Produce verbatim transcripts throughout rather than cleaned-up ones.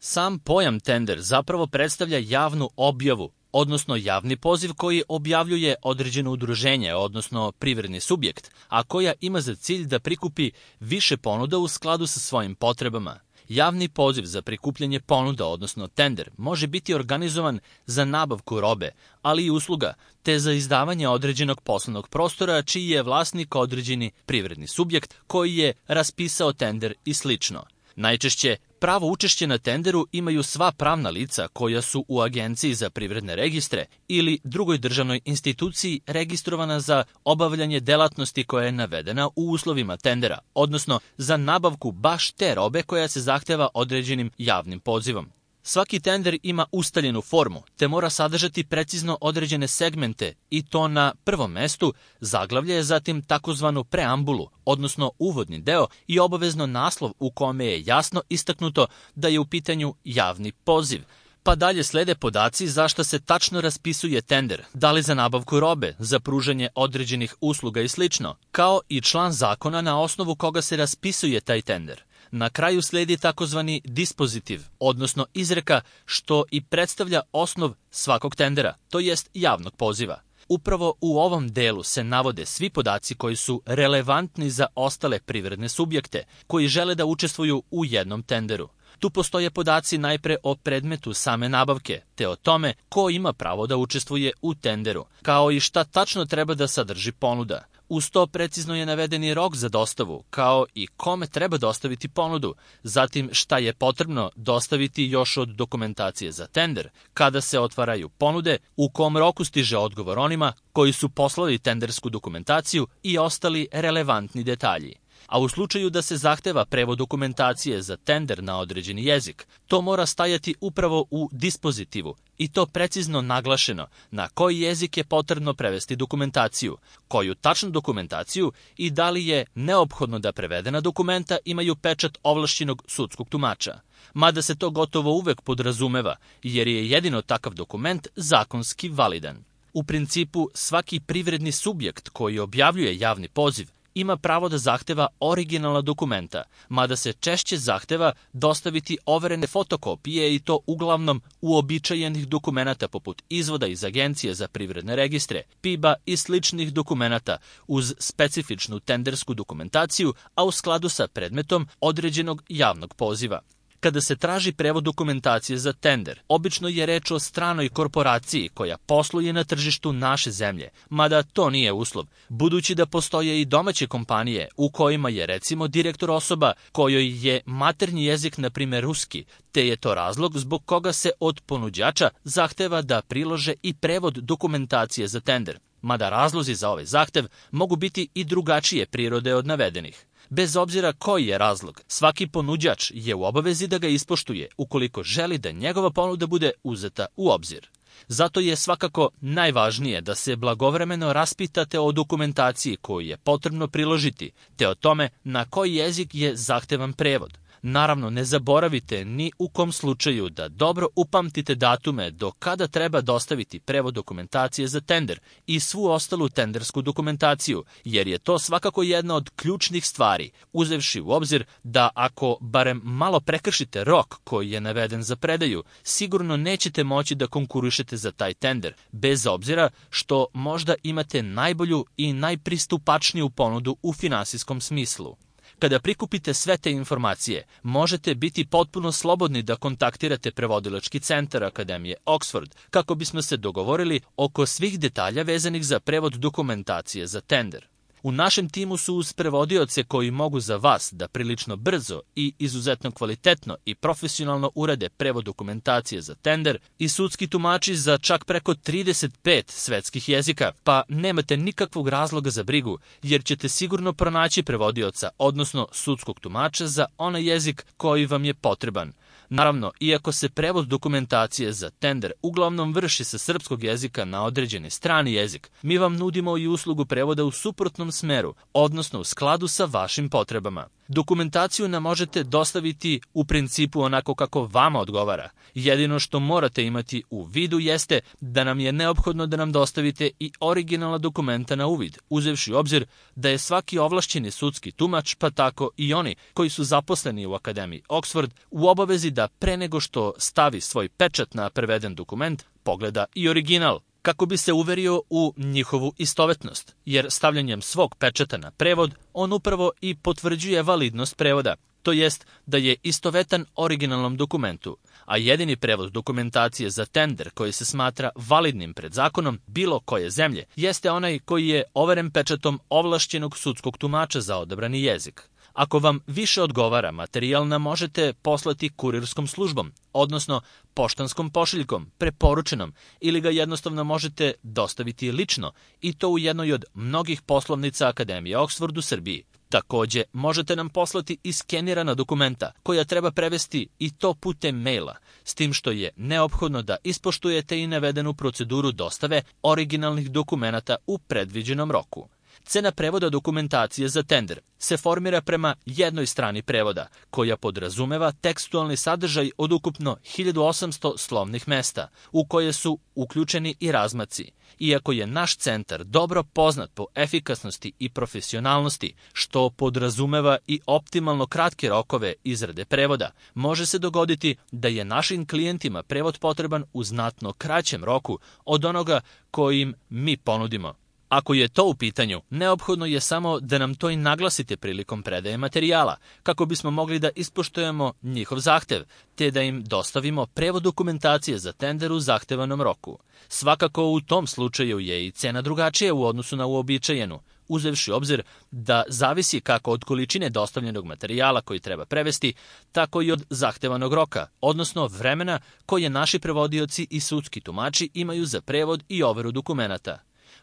Sam pojam tender zapravo predstavlja javnu objavu, odnosno javni poziv koji objavljuje određeno udruženje, odnosno privredni subjekt, a koja ima za cilj da prikupi više ponuda u skladu sa svojim potrebama. Javni poziv za prikupljanje ponuda, odnosno tender, može biti organizovan za nabavku robe, ali i usluga, te za izdavanje određenog poslovnog prostora čiji je vlasnik određeni privredni subjekt koji je raspisao tender i slično. Najčešće, pravo učešće na tenderu imaju sva pravna lica koja su u Agenciji za privredne registre ili drugoj državnoj instituciji registrovana za obavljanje delatnosti koja je navedena u uslovima tendera, odnosno za nabavku baš te robe koja se zahteva određenim javnim pozivom. Svaki tender ima ustaljenu formu, te mora sadržati precizno određene segmente i to na prvom mestu zaglavlje, zatim takozvanu preambulu, odnosno uvodni deo i obavezno naslov u kome je jasno istaknuto da je u pitanju javni poziv. Pa dalje slede podaci za šta se tačno raspisuje tender, da li za nabavku robe, za pružanje određenih usluga i slično, kao i član zakona na osnovu koga se raspisuje taj tender. Na kraju sledi takozvani dispozitiv, odnosno izreka, što i predstavlja osnov svakog tendera, to jest javnog poziva. Upravo u ovom delu se navode svi podaci koji su relevantni za ostale privredne subjekte koji žele da učestvuju u jednom tenderu. Tu postoje podaci najpre o predmetu same nabavke, te o tome ko ima pravo da učestvuje u tenderu, kao i šta tačno treba da sadrži ponuda. Uz to precizno je navedeni rok za dostavu, kao i kome treba dostaviti ponudu, zatim šta je potrebno dostaviti još od dokumentacije za tender, kada se otvaraju ponude, u kom roku stiže odgovor onima koji su poslali tendersku dokumentaciju i ostali relevantni detalji. A u slučaju da se zahteva prevod dokumentacije za tender na određeni jezik, to mora stajati upravo u dispozitivu i to precizno naglašeno na koji jezik je potrebno prevesti dokumentaciju, koju tačnu dokumentaciju i da li je neophodno da prevedena dokumenta imaju pečat ovlašćenog sudskog tumača. Mada se to gotovo uvek podrazumeva, jer je jedino takav dokument zakonski validan. U principu, svaki privredni subjekt koji objavljuje javni poziv ima pravo da zahteva originalna dokumenta, mada se češće zahteva dostaviti overene fotokopije i to uglavnom uobičajenih dokumenata poput izvoda iz Agencije za privredne registre, P I B-a i sličnih dokumenata uz specifičnu tendersku dokumentaciju, a u skladu sa predmetom određenog javnog poziva. Kada se traži prevod dokumentacije za tender, obično je reč o stranoj korporaciji koja posluje na tržištu naše zemlje, mada to nije uslov, budući da postoje i domaće kompanije u kojima je recimo direktor osoba kojoj je maternji jezik, na primjer ruski, te je to razlog zbog koga se od ponuđača zahteva da prilože i prevod dokumentacije za tender, mada razlozi za ovaj zahtev mogu biti i drugačije prirode od navedenih. Bez obzira koji je razlog, svaki ponuđač je u obavezi da ga ispoštuje ukoliko želi da njegova ponuda bude uzeta u obzir. Zato je svakako najvažnije da se blagovremeno raspitate o dokumentaciji koju je potrebno priložiti, te o tome na koji jezik je zahtevan prevod. Naravno, ne zaboravite ni u kom slučaju da dobro upamtite datume do kada treba dostaviti prevod dokumentacije za tender i svu ostalu tendersku dokumentaciju, jer je to svakako jedna od ključnih stvari, uzevši u obzir da ako barem malo prekršite rok koji je naveden za predaju, sigurno nećete moći da konkurišete za taj tender, bez obzira što možda imate najbolju i najpristupačniju ponudu u finansijskom smislu. Kada prikupite sve te informacije, možete biti potpuno slobodni da kontaktirate prevodilački centar Akademije Oxford kako bismo se dogovorili oko svih detalja vezanih za prevod dokumentacije za tender. U našem timu su uz prevodioce koji mogu za vas da prilično brzo i izuzetno kvalitetno i profesionalno urade prevod dokumentacije za tender i sudski tumači za čak preko trideset pet svetskih jezika, pa nemate nikakvog razloga za brigu, jer ćete sigurno pronaći prevodioca, odnosno sudskog tumača za onaj jezik koji vam je potreban. Naravno, iako se prevod dokumentacije za tender uglavnom vrši sa srpskog jezika na određeni strani jezik, mi vam nudimo i uslugu prevoda u suprotnom pravom smeru, odnosno u skladu sa vašim potrebama. Dokumentaciju nam možete dostaviti u principu onako kako vama odgovara. Jedino što morate imati u vidu jeste da nam je neophodno da nam dostavite i originalna dokumenta na uvid, uzevši u obzir da je svaki ovlašćeni sudski tumač, pa tako i oni koji su zaposleni u Akademiji Oxford, u obavezi da pre nego što stavi svoj pečat na preveden dokument, pogleda i original, kako bi se uverio u njihovu istovetnost, jer stavljanjem svog pečata na prevod, on upravo i potvrđuje validnost prevoda, to jest da je istovetan originalnom dokumentu, a jedini prevod dokumentacije za tender koji se smatra validnim pred zakonom bilo koje zemlje, jeste onaj koji je overen pečatom ovlašćenog sudskog tumača za odabrani jezik. Ako vam više odgovara, materijal nam možete poslati kurirskom službom, odnosno poštanskom pošiljkom, preporučenom, ili ga jednostavno možete dostaviti lično, i to u jednoj od mnogih poslovnica Akademije Oxford u Srbiji. Takođe, možete nam poslati i skenirana dokumenta koja treba prevesti i to putem maila, s tim što je neophodno da ispoštujete i navedenu proceduru dostave originalnih dokumenata u predviđenom roku. Cena prevoda dokumentacije za tender se formira prema jednoj strani prevoda, koja podrazumeva tekstualni sadržaj od ukupno hiljadu osamsto slovnih mesta, u koje su uključeni i razmaci. Iako je naš centar dobro poznat po efikasnosti i profesionalnosti, što podrazumeva i optimalno kratke rokove izrade prevoda, može se dogoditi da je našim klijentima prevod potreban u znatno kraćem roku od onoga koji im mi ponudimo. Ako je to u pitanju, neophodno je samo da nam to i naglasite prilikom predaje materijala, kako bismo mogli da ispoštujemo njihov zahtev, te da im dostavimo prevod dokumentacije za tender u zahtevanom roku. Svakako u tom slučaju je i cena drugačija u odnosu na uobičajenu, uzevši obzir da zavisi kako od količine dostavljenog materijala koji treba prevesti, tako i od zahtevanog roka, odnosno vremena koje naši prevodioci i sudski tumači imaju za prevod i overu dokumenata.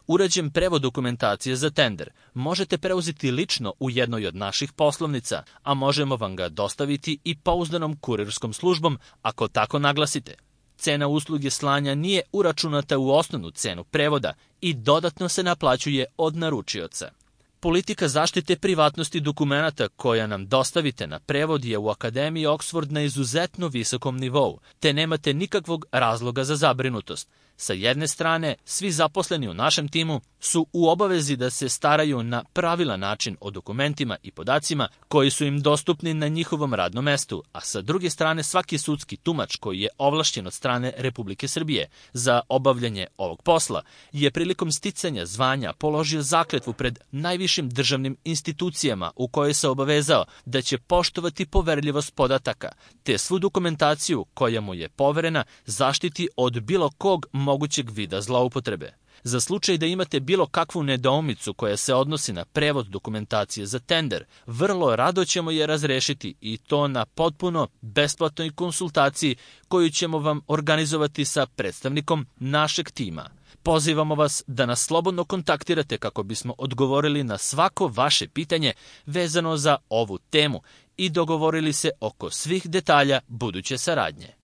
Urađen prevod dokumentacije za tender možete preuzeti lično u jednoj od naših poslovnica, a možemo vam ga dostaviti i pouzdanom kurirskom službom ako tako naglasite. Cena usluge slanja nije uračunata u osnovnu cenu prevoda i dodatno se naplaćuje od naručioca. Politika zaštite privatnosti dokumenata koja nam dostavite na prevod je u Akademiji Oxford na izuzetno visokom nivou, te nemate nikakvog razloga za zabrinutost. Sa jedne strane, svi zaposleni u našem timu su u obavezi da se staraju na pravilan način o dokumentima i podacima koji su im dostupni na njihovom radnom mestu, a sa druge strane svaki sudski tumač koji je ovlašćen od strane Republike Srbije za obavljanje ovog posla je prilikom sticanja zvanja položio zakletvu pred najvišim državnim institucijama u kojoj se obavezao da će poštovati poverljivost podataka, te svu dokumentaciju koja mu je poverena zaštiti od bilo kog mogućeg vida zloupotrebe. Za slučaj da imate bilo kakvu nedoumicu koja se odnosi na prevod dokumentacije za tender, vrlo rado ćemo je razrešiti i to na potpuno besplatnoj konsultaciji koju ćemo vam organizovati sa predstavnikom našeg tima. Pozivamo vas da nas slobodno kontaktirate kako bismo odgovorili na svako vaše pitanje vezano za ovu temu i dogovorili se oko svih detalja buduće saradnje.